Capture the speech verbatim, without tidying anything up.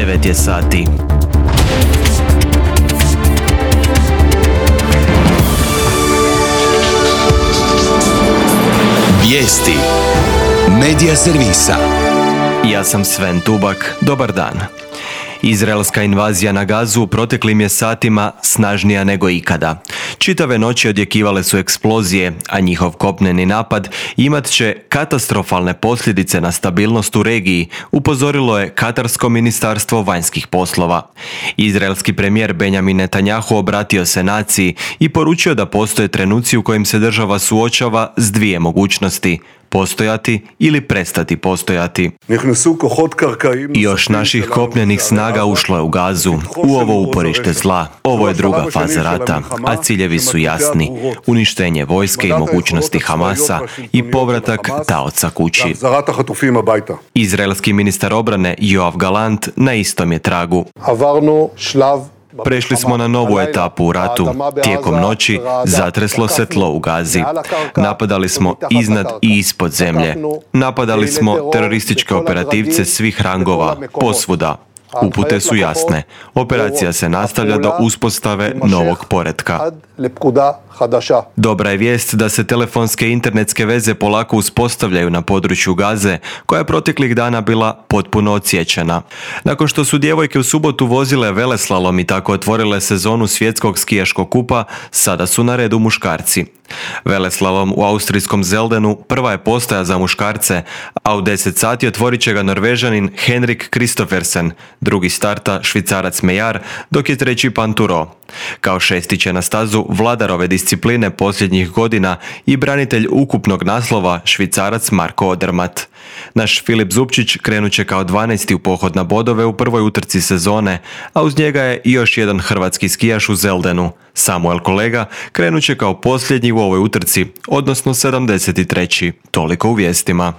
devet je sati. Vijesti Medija servisa. Ja sam Sven Tubak, dobar dan. Izraelska invazija na Gazu u proteklim je satima snažnija nego ikada. Čitave noći odjekivale su eksplozije, a njihov kopneni napad imat će katastrofalne posljedice na stabilnost u regiji, upozorilo je Katarsko ministarstvo vanjskih poslova. Izraelski premijer Benjamin Netanjahu obratio se naciji i poručio da postoje trenuci u kojim se država suočava s dvije mogućnosti: postojati ili prestati postojati. Još naših kopnenih snaga ušlo je u Gazu, u ovo uporište zla. Ovo je druga faza rata, a ciljevi su jasni: uništenje vojske i mogućnosti Hamasa i povratak taoca kući. Izraelski ministar obrane Yoav Gallant na istom je tragu. Prešli smo na novu etapu u ratu. Tijekom noći zatreslo se tlo u Gazi. Napadali smo iznad i ispod zemlje. Napadali smo terorističke operativce svih rangova, posvuda. Upute su jasne. Operacija se nastavlja do uspostave novog poretka. Dobra je vijest da se telefonske i internetske veze polako uspostavljaju na području Gaze, koja je proteklih dana bila potpuno odsječena. Nakon što su djevojke u subotu vozile veleslalom i tako otvorile sezonu svjetskog skijaškog kupa, sada su na redu muškarci. Veleslalom u austrijskom Zeldenu prva je postaja za muškarce, a u deset sati otvorit će ga Norvežanin Henrik Kristoffersen, drugi starta Švicarac Mejar, dok je treći Panturo. Kao šesti će na stazu vladar ove discipline posljednjih godina i branitelj ukupnog naslova Švicarac Marko Odermatt. Naš Filip Zupčić krenut će kao dvanaesti u pohod na bodove u prvoj utrci sezone, a uz njega je i još jedan hrvatski skijaš u Zeldenu. Samuel Kolega krenut će kao posljednji u ovoj utrci, odnosno sedamdeset treći. Toliko u vijestima.